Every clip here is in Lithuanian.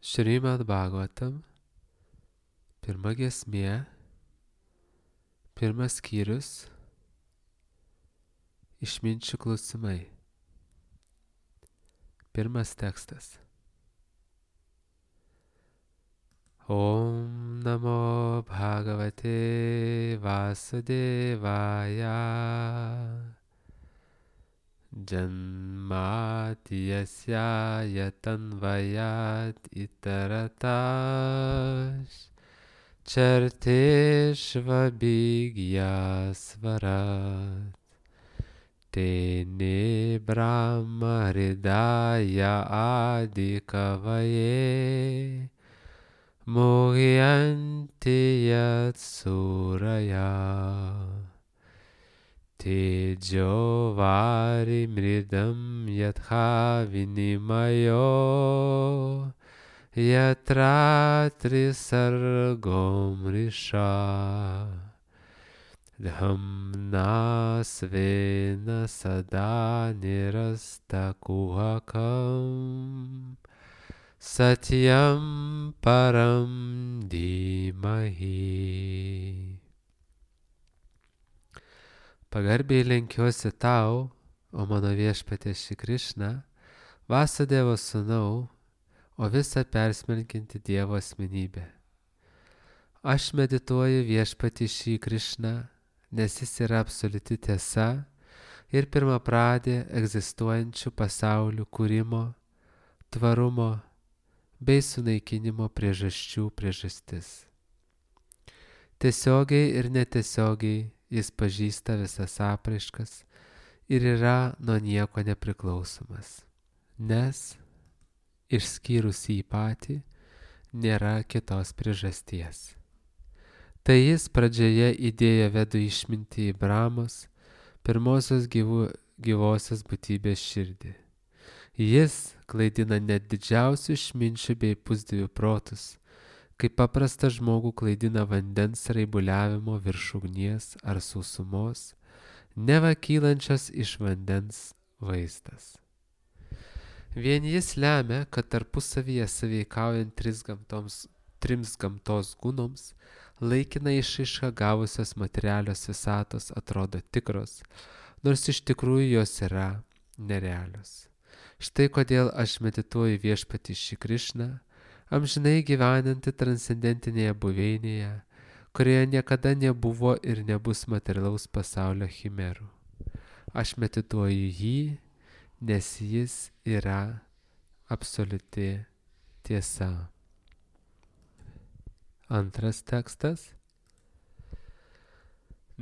Šrimad Bhagavatam, pirma giesmė, pirmas skyrius, išminčių klausimai. Pirmas tekstas. Om namo Bhagavate Vasudevaya Janmatiyasya yatanvayat itaratash Charteshvabhigyasvarat Tene Brahma Hridaya Adikavaye Mohyanti Yatsuraya Tejo Vari Mridam Yatha Vinimayo Yatra Trisargom Risha Dhamna Svena Sada Nirasta Kuhakam Satyam Param Dhimahi. Pagarbiai lenkiuosi tau, o mano viešpatie Šri Krišna, Vasudevo sūnau, o visa persmelkianti Dievo asmenybė. Aš medituoju viešpatį Šri Krišną, nes jis yra absoliuti tiesa ir pirmapradė egzistuojančių pasaulių kūrimo, tvarumo bei sunaikinimo priežasčių priežastis. Tiesiogiai ir netiesiogiai jis pažįsta visas apraiškas ir yra nuo nieko nepriklausomas, nes, išskyrus jį patį, nėra kitos priežasties. Tai jis pradžioje įdėjo vedų išmintį į Brahmos, pirmosios gyvosios būtybės širdį. Jis klaidina net didžiausių išminčių bei pusdievių protus, kaip paprastą žmogų klaidina vandens raibuliavimo virš ugnies ar sausumos, neva kylančios iš vandens vaizdas. Vien jis lemia, kad tarpusavyje sąveikaujant trims gamtos gūnoms, laikinai išraišką gavusios materialios visatos atrodo tikros, nors iš tikrųjų jos yra nerealios. Štai kodėl aš medituoju viešpatį Šri Krišną, amžinai gyvenantį transcendentinėje buveinėje, kurioje niekada nebuvo ir nebus materialaus pasaulio chimerų. Aš medituoju jį, nes jis yra absoliuti tiesa. Antras tekstas.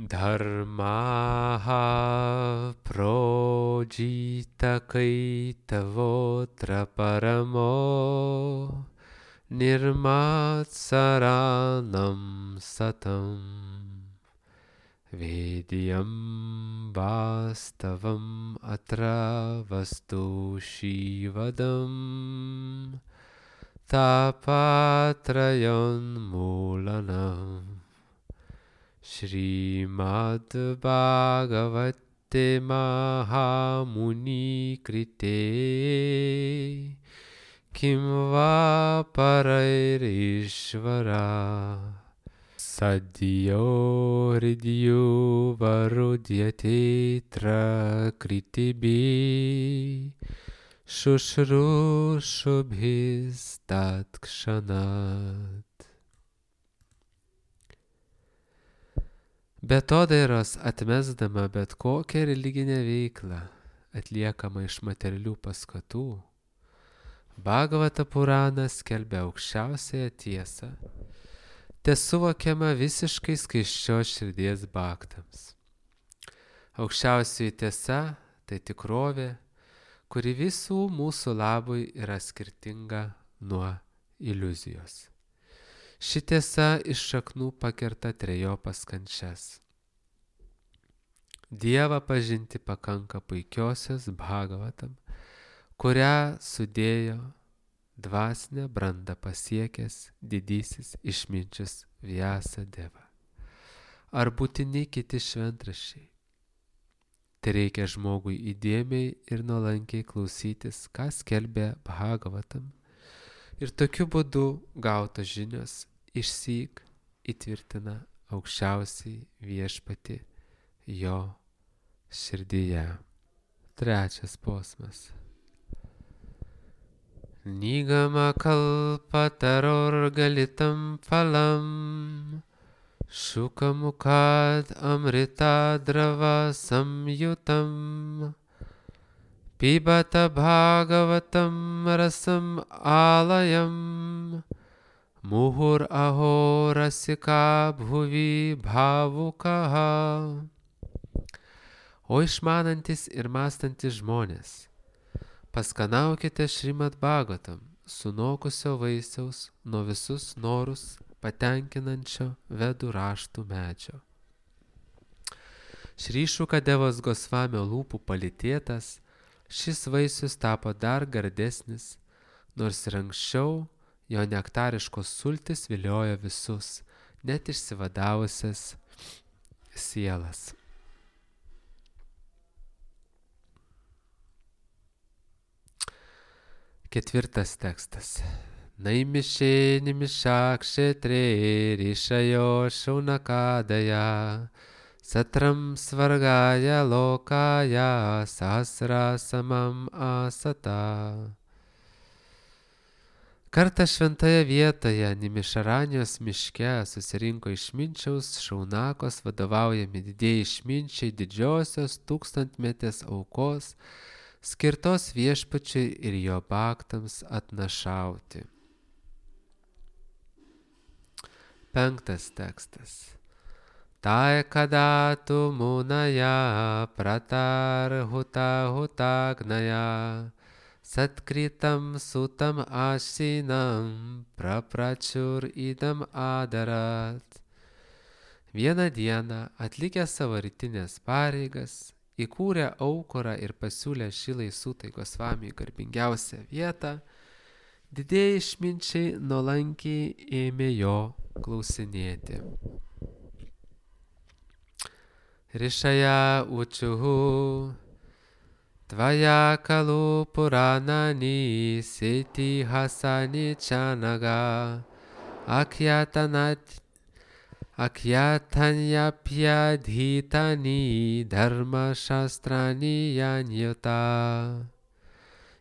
Dharmaha projita kaitavotra paramo nirmatsaranam satam vedyam vastavam atra vastu shivadam tapatrayon mulanam. Shrimad Bhagavate Mahamuni Krite Kim va Parairishvara Sadhyo Hridyo Varudyate Tra Kritibi Shushrushabhis Tatkshanat. Betodairos atmesdama bet kokią religinę veiklą atliekamą iš materialių paskatų, Bhagavata Purana skelbia aukščiausiąją tiesą, tesuvokiama visiškai skaisčios širdies bhaktams. Aukščiausioji tiesa tai tikrovė, kuri visų mūsų labui yra skirtinga nuo iliuzijos. Ši tiesa iš šaknų pakerta trejopas kančias. Dievą pažinti pakanka puikiosios Bhagavatam, kurią sudėjo dvasinę brandą pasiekęs didysis išminčius Vyasadeva. Ar būtini kiti šventraščiai? Tai reikia žmogui įdėmiai ir nuolankiai klausytis, ką skelbia Bhagavatam, Ir tokiu būdu gautos žinios išsyk įtvirtina aukščiausiai viešpatį jo širdyje. Trečias posmas. Nigama kalpatarorgalitam phalam Shukamukad amrita drava samyutam Pibata bhagavatam rasam alayam Muhur aho rasika bhuvi bhavukaha. O išmanantis ir mąstantis žmonės, paskanaukite Šrimad Bhagavatam, sunokusio vaisiaus nuo visus norus patenkinančio vedų raštų medžio. Šri Šukadevos Gosvamio lūpų palytėtas, šis vaisius tapo dar gardesnis, nors ir anksčiau jo nektariškos sultis viliojo visus, net išsivadavusias sielas. Ketvirtas tekstas. Naimišė nimišakšetre rišajo šaunakadaya satram svargaya lokaya sahasra samam asata. Kartą šventoje vietoje Nimišaranijos miške susirinko išminčiaus Šaunakos vadovaujami didieji išminčiai didžiosios tūkstantmetės aukos skirtos viešpačiui ir jo baktams atnašauti. Penktas tekstas. Tai kadatu munaya pratarhuta hutagnaya satkritam sutam asinam praprachur idam adarat. Vieną dieną atlikę savo rytinės pareigas, įkūrė aukurą ir pasiūlė Šilai Sutai Gosvamiui garbingiausią vietą, didieji išminčiai nuolankiai ėmė jo klausinėti. Rišaja učiuhu, tvaja kalu puranani siti hasani čanaga, akyatanyapyadhytani dharma shastrani janyuta.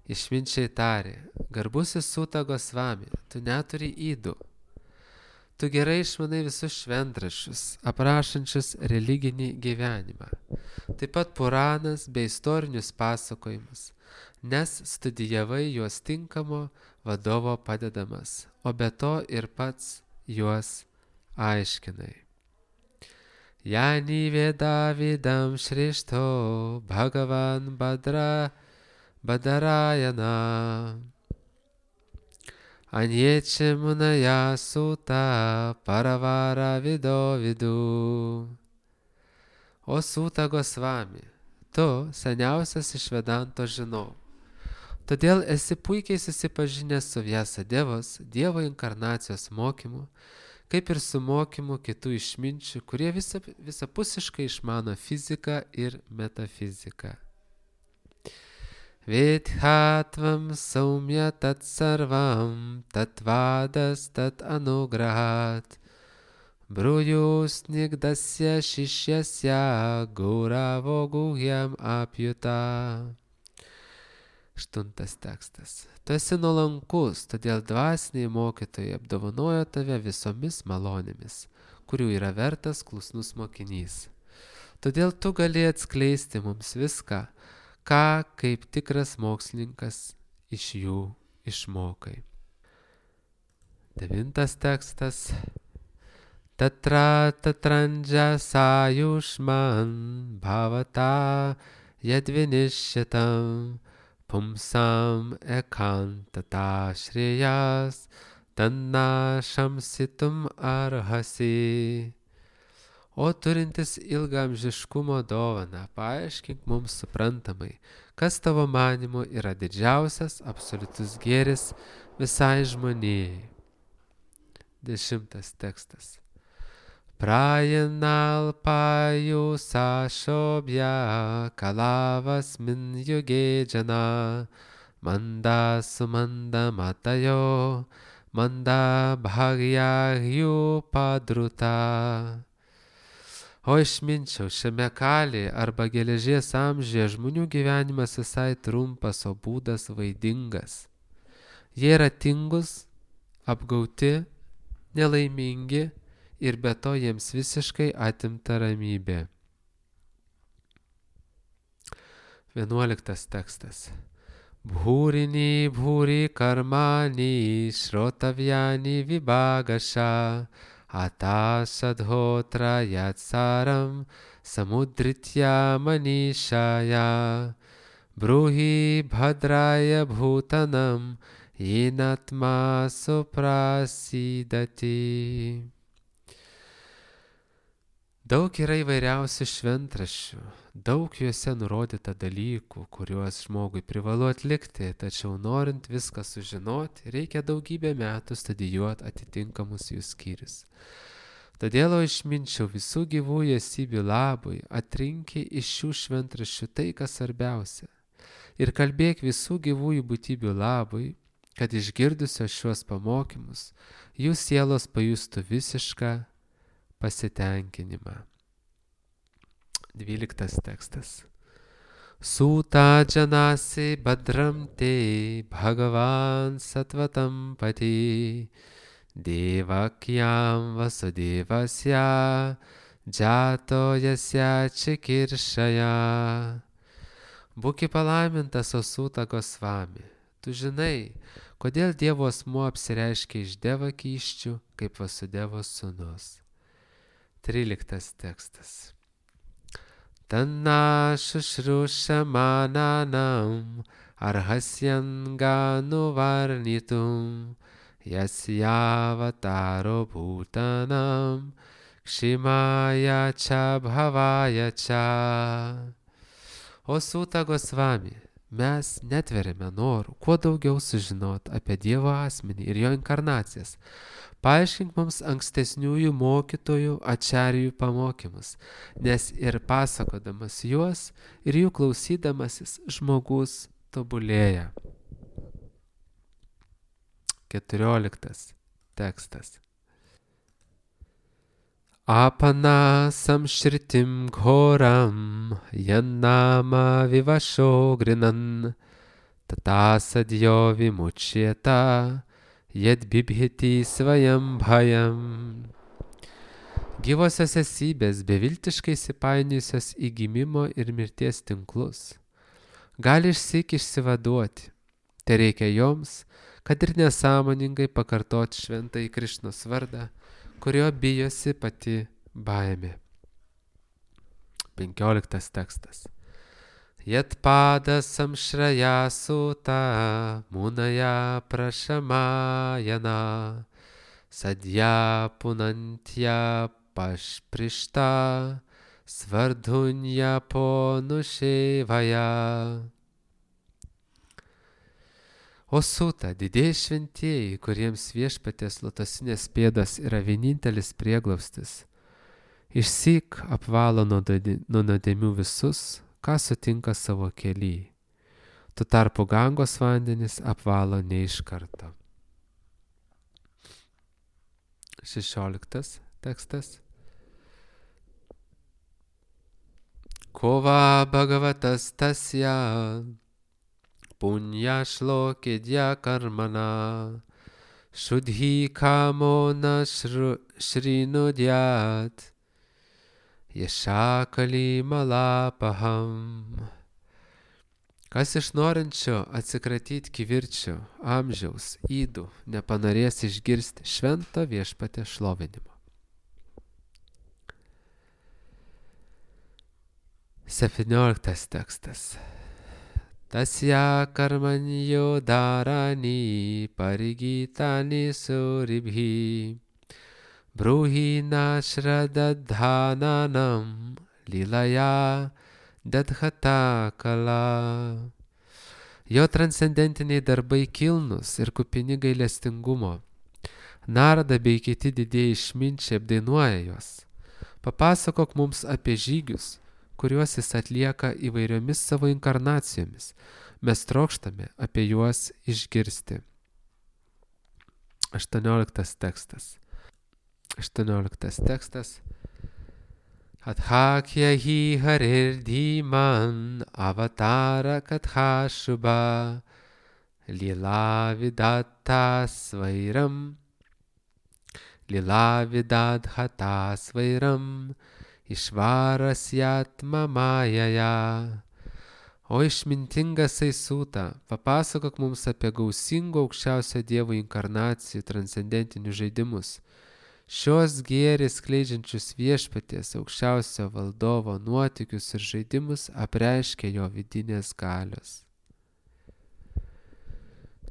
Išminčiai tarė, garbusis Suta Gosvami, tu neturi ydų. Tu gerai išmanai visus šventraščius, aprašančius religinį gyvenimą. Taip pat Puranas bei istorinius pasakojimus, nes studijavai juos tinkamo vadovo padedamas, o be to ir pats juos aiškinai. Yani veda vidam šrišto Bhagavan Badarayana Anječe munaya Suta paravara vido vidu. O Suta Gosvami, tu seniausias iš Vedanto žinovų. Todėl esi puikiai susipažinęs su Vyasadevos Dievo inkarnacijos mokymu, kaip ir su mokymu kitų išminčių, kurie visapusiškai išmano fiziką ir metafiziką. Vedhatvam saumya tat sarvam tatvadas tat anugrahat brujus nigdasya šišyasya gauravo guhyam apjuta. Aštuntas tekstas. Tu esi nuolankus, todėl dvasiniai mokytojai apdovanojo tave visomis malonėmis, kurių yra vertas klusnus mokinys. Todėl tu gali atskleisti mums viską, ką kaip tikras mokslininkas iš jų išmokai. Devintas tekstas. Tatra tatrandža sajušman bhavata yadvinishitam pumsam ekantata shreyas tanna shamsitum arhasi. O turintis ilgaamžiškumo dovaną, paaiškink mums suprantamai, kas tavo manymu yra didžiausias absoliutus gėris visai žmonijai. 10 tekstas. Prajanal paju sašobja kalavas min yuge jana manda sumanda matayo, manda bhagya padruta. O išminčiau, šiame kalėje arba geležies amžiuje žmonių gyvenimas visai trumpas, o būdas vaidingas. Jie yra tingus, apgauti, nelaimingi ir be to jiems visiškai atimta ramybė. 11 tekstas. Bhūrini bhūri karmani shrotavyani vibhagasha atasadhotra yatsaram samudritya manishaya bruhi bhadraya bhutanam yenatma suprasidati. Daug yra įvairiausių šventraščių, daug juose nurodyta dalykų, kuriuos žmogui privalu atlikti, tačiau norint viską sužinoti, reikia daugybę metų studijuoti atitinkamus jų skyrius. Todėl išminčiau visų gyvųjų esybių labui, atrinki iš šių šventraščių tai, kas svarbiausia. Ir kalbėk visų gyvųjų būtybių labui, kad išgirdusios šiuos pamokymus, jų sielos pajustų visišką pasitenkinimą. 12 tekstas. Sūta džanasi badram te bhagavan satvatam pati devakyam vasudevasya džato jasya čikiršaya. Būki palaimintas, o Sūta Gosvami. Tu žinai, kodėl Dievo asmuo apsireiškia iš devakysčių kaip Vasudevos sūnus. 13 tekstas. Tanna šušrušamananam arhasyan ganu varnitum yasyavataro bhutanam kshimaya cha bhavaya cha. O Sūta Gosvami, mes netveriame norų kuo daugiau sužinoti apie Dievo asmenį ir jo inkarnacijas. Paaiškink mums ankstesniųjų mokytojų ačarijų pamokymus, nes ir pasakodamas juos ir jų klausydamasis žmogus tobulėja. 14 tekstas. Apana samshritim ghoram yannama vivasho grinan tata sadyo vimuchyeta yed bibhiti svajam bhajam. Gyvosios esybės beviltiškai įsipainiojusios į gimimo ir mirties tinklus gali išsyk išsivaduoti. Tai reikia joms, kad ir nesąmoningai pakartoti šventąjį Krišnos vardą, kurio bijosi pati baimė. 15 tekstas. Yatpada samshraya Sūta munaya prashamayana sadya punantya pašprishta svardhunya ponushevaya. O Sūta, didieji šventieji, kuriems viešpaties lotosinės pėdos yra vienintelis prieglaustis, išsyk apvalo nuo nuodėmių visus, ką sutinka savo kely. Tuo tarpu Gangos vandenis apvalo ne iš karto. 16 tekstas. Kova bhagavatas tasya punya shlokidya karmana shudhi kamo na shrinudyat Yeshakali malapaham. Kas iš norinčio atsikratyti kivirčio, amžiaus, ydų, nepanorės išgirsti švento viešpatės šlovinimo. 17 tekstas. Tasya karmanyo dharani parigitani suribhi Bruhi nashradadhananam lilaya dadhata kala. Jo transcendentiniai darbai kilnus ir kupini gailestingumo. Narada bei kiti didieji išminčiai apdainuoja juos. Papasakok mums apie žygius, kuriuos jis atlieka įvairiomis savo inkarnacijomis, Mes trokštame apie juos išgirsti. 18 tekstas. 18 tekstas. Adhakya hi harir dhiman avatara katha shubha lila vidatta svairam lila vidadhata svairam išvarasyatma majaya. O išmintingas Aisūta, papasakok mums apie gausingų aukščiausio Dievo inkarnacijų transcendentinius žaidimus. Šios gėrės skleidžiančius viešpaties aukščiausio valdovo nuotykius ir žaidimus apreiškia jo vidinės galios.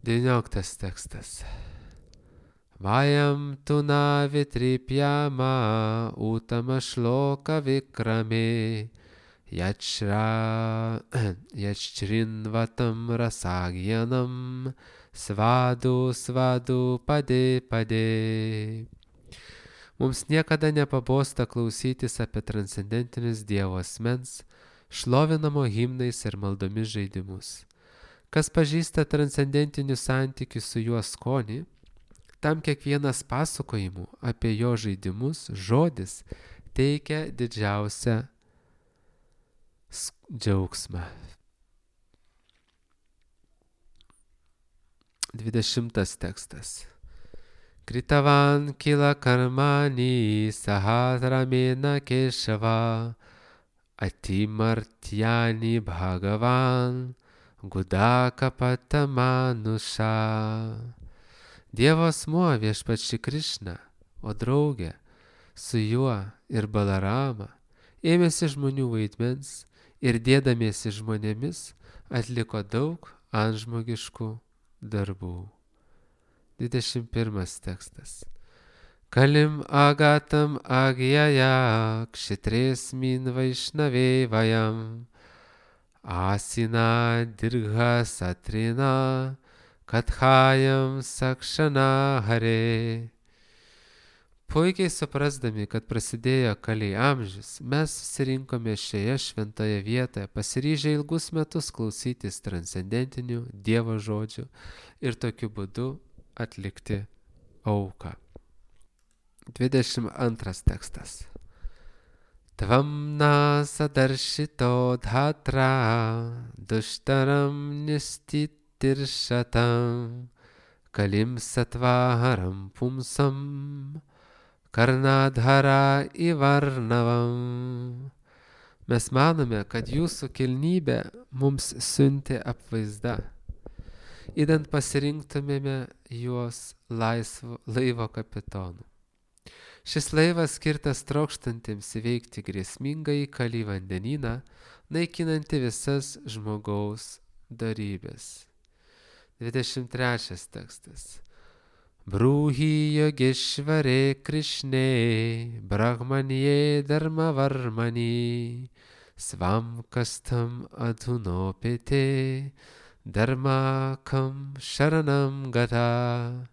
19 tekstas. Vayam tuna vitripyama utama shloka vikrame yachrinvatam rasagyanam svadu svadu pade pade. Mums niekada nepabosta klausytis apie transcendentinius Dievo asmens, šlovinamo himnais ir maldomis žaidimus. Kas pažįsta transcendentinių santykių su juo skonį, tam kiekvienas pasakojimų apie jo žaidimus žodis teikia didžiausią džiaugsmą. 20 tekstas. Kritavan kila karmani sahasramena keshava atimartyani bhagavan gudaka patamanusha. Dievo asmuo viešpats Šri Krišna, o draugė su juo ir Balarama ėmėsi žmonių vaidmens ir dėdamiesi žmonėmis atliko daug antžmogiškų darbų. 21 tekstas. Kalim agatam agyaja kshitres min vaišnavė vayam asina dirgha satrina kathayam sakshana hare. Puikiai suprasdami, kad prasidėjo Kali amžius, mes susirinkome šioje šventoje vietoje, pasiryžę ilgus metus klausytis transcendentinių Dievo žodžių ir tokiu būdu atlikti auką. 22 tekstas. Tvam nasadarshito dhatra dushtaram nistitiršatam kalim satvaharam pumsam karnadhara ivarnavam. Mes manome, kad jūsų kilnybė mums siuntė apvaizdą, idant pasirinktumėme juos laivo kapitonu. Šis laivas skirtas trokštantiems įveikti grėsmingąjį Kali vandenyną, naikinantį visas žmogaus dorybės. 23 tekstas. Brūhi yogeshvare Krishne brahmanye dharmavarmani svam kastam adhunopete dharmakam sharanam gata.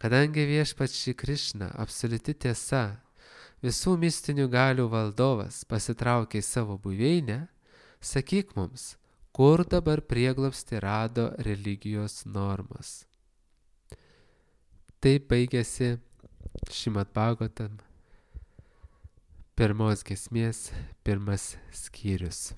Kadangi viešpats Šri Krišna, absoliuti tiesa, visų mistinių galių valdovas, pasitraukė į savo buveinę, sakyk mums, kur dabar prieglobstį rado religijos normos. Taip baigėsi Šrimad Bhagavatam, pirmos giesmės, pirmas skyrius.